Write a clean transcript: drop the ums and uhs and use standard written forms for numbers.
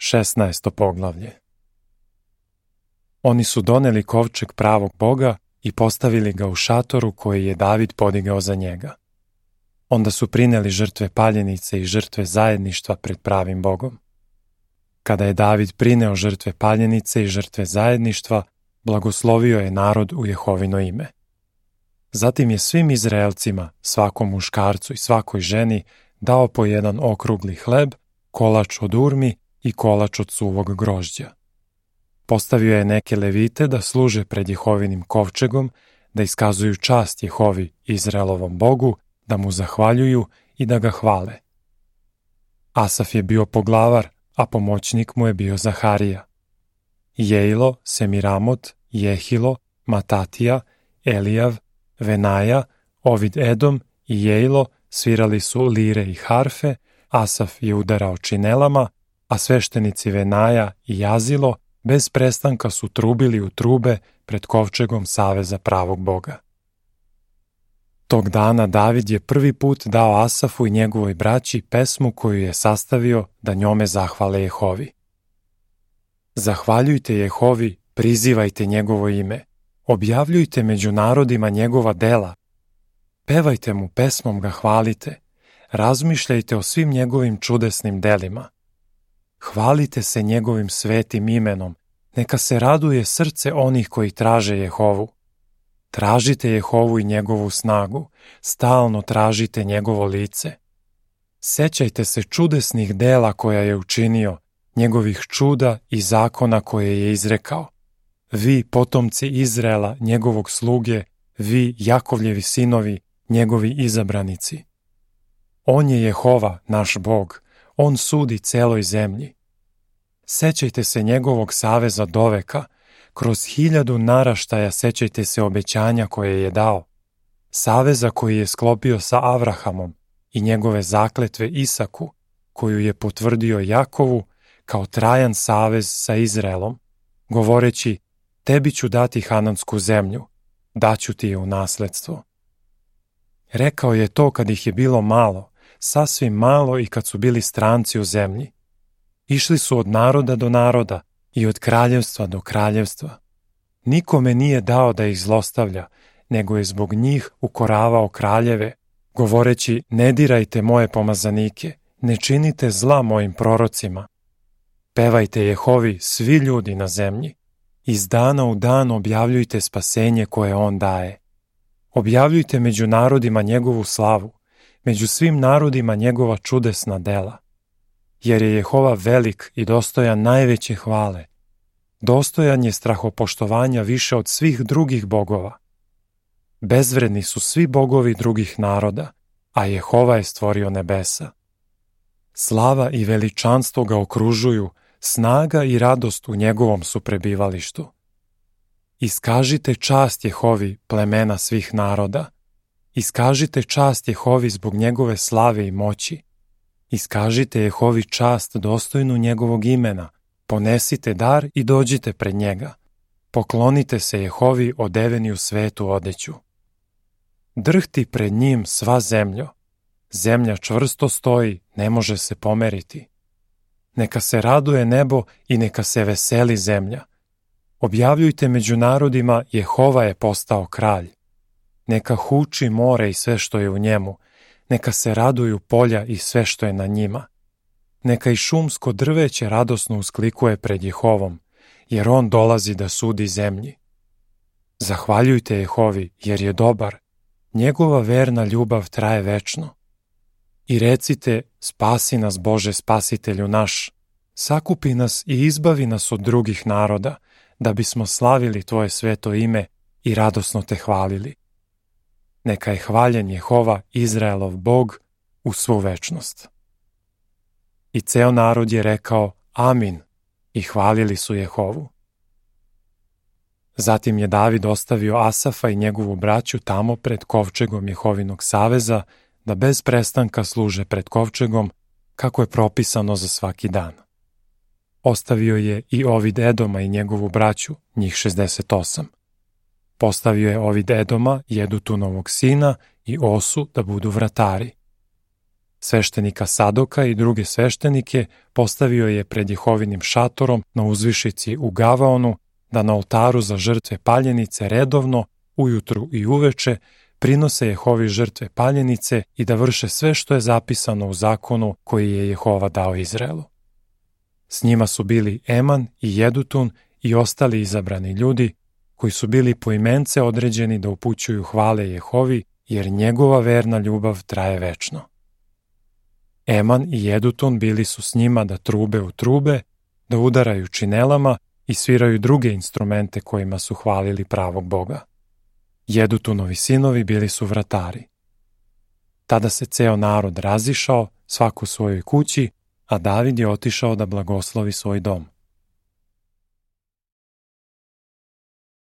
16. poglavlje. Oni su doneli kovčeg pravog Boga i postavili ga u šatoru koji je David podigao za njega. Onda su prineli žrtve paljenice i žrtve zajedništva pred pravim Bogom. Kada je David prineo žrtve paljenice i žrtve zajedništva, blagoslovio je narod u Jehovino ime. Zatim je svim Izraelcima, svakom muškarcu i svakoj ženi, dao po jedan okrugli hleb, kolač od urmi i kolač od suvog grožđa. Postavio je neke levite da služe pred Jehovinim kovčegom, da iskazuju čast Jehovi, Izraelovom Bogu, da mu zahvaljuju i da ga hvale. Asaf je bio poglavar, a pomoćnik mu je bio Zaharija. Jejlo, Semiramot, Jehilo, Matatija, Elijav, Venaja, Ovid Edom i Jejlo svirali su lire i harfe, Asaf je udarao činelama, a sveštenici Venaja i Jazilo bez prestanka su trubili u trube pred kovčegom saveza pravog Boga. Tog dana David je prvi put dao Asafu i njegovoj braći pesmu koju je sastavio da njome zahvale Jehovi. Zahvaljujte Jehovi, prizivajte njegovo ime, objavljujte među narodima njegova dela, pevajte mu pesmom ga hvalite, razmišljajte o svim njegovim čudesnim delima. Hvalite se njegovim svetim imenom, neka se raduje srce onih koji traže Jehovu. Tražite Jehovu i njegovu snagu, stalno tražite njegovo lice. Sećajte se čudesnih dela koja je učinio, njegovih čuda i zakona koje je izrekao. Vi, potomci Izraela, njegovog sluge, vi, Jakovljevi sinovi, njegovi izabranici. On je Jehova, naš Bog, on sudi celoj zemlji. Sećajte se njegovog saveza doveka, kroz 1000 naraštaja sećajte se obećanja koje je dao, saveza koji je sklopio sa Avrahamom i njegove zakletve Isaku, koju je potvrdio Jakovu kao trajan savez sa Izraelom, govoreći, tebi ću dati Hanansku zemlju, daću ti je u nasledstvo. Rekao je to kad ih je bilo malo, sasvim malo i kad su bili stranci u zemlji. Išli su od naroda do naroda i od kraljevstva do kraljevstva. Nikome nije dao da ih zlostavlja, nego je zbog njih ukoravao kraljeve, govoreći, ne dirajte moje pomazanike, ne činite zla mojim prorocima. Pevajte Jehovi svi ljudi na zemlji. Iz dana u dan objavljujte spasenje koje on daje. Objavljujte među narodima njegovu slavu, među svim narodima njegova čudesna dela. Jer je Jehova velik i dostojan najveće hvale. Dostojan je strahopoštovanja više od svih drugih bogova. Bezvredni su svi bogovi drugih naroda, a Jehova je stvorio nebesa. Slava i veličanstvo ga okružuju, snaga i radost u njegovom su prebivalištu. Iskažite čast Jehovi, plemena svih naroda. Iskažite čast Jehovi zbog njegove slave i moći. Iskažite Jehovi čast dostojnu njegovog imena, ponesite dar i dođite pred njega. Poklonite se Jehovi odeveni u svetu odeću. Drhti pred njim sva zemljo. Zemlja čvrsto stoji, ne može se pomeriti. Neka se raduje nebo i neka se veseli zemlja. Objavljujte među narodima, Jehova je postao kralj. Neka huči more i sve što je u njemu, neka se raduju polja i sve što je na njima. Neka i šumsko drveće radosno usklikuje pred Jehovom, jer on dolazi da sudi zemlji. Zahvaljujte Jehovi, jer je dobar, njegova verna ljubav traje večno. I recite, spasi nas Bože spasitelju naš, sakupi nas i izbavi nas od drugih naroda, da bismo slavili tvoje sveto ime i radosno te hvalili. Neka je hvaljen Jehova, Izraelov Bog, u svu večnost. I ceo narod je rekao Amin i hvalili su Jehovu. Zatim je David ostavio Asafa i njegovu braću tamo pred kovčegom Jehovinog saveza, da bez prestanka služe pred kovčegom, kako je propisano za svaki dan. Ostavio je i Ovid Edoma i njegovu braću, njih 68. Postavio je Ovid Edoma, Jedutunovog sina, i Osu da budu vratari. Sveštenika Sadoka i druge sveštenike postavio je pred Jehovinim šatorom na uzvišici u Gavaonu, da na oltaru za žrtve paljenice redovno, ujutru i uveče, prinose Jehovi žrtve paljenice i da vrše sve što je zapisano u zakonu koji je Jehova dao Izraelu. S njima su bili Eman i Jedutun i ostali izabrani ljudi, koji su bili poimence određeni da upućuju hvale Jehovi, jer njegova verna ljubav traje večno. Eman i Jedutun bili su s njima da trube u trube, da udaraju činelama i sviraju druge instrumente kojima su hvalili pravog Boga. Jedutunovi sinovi bili su vratari. Tada se ceo narod razišao, svako u svojoj kući, a David je otišao da blagoslovi svoj dom.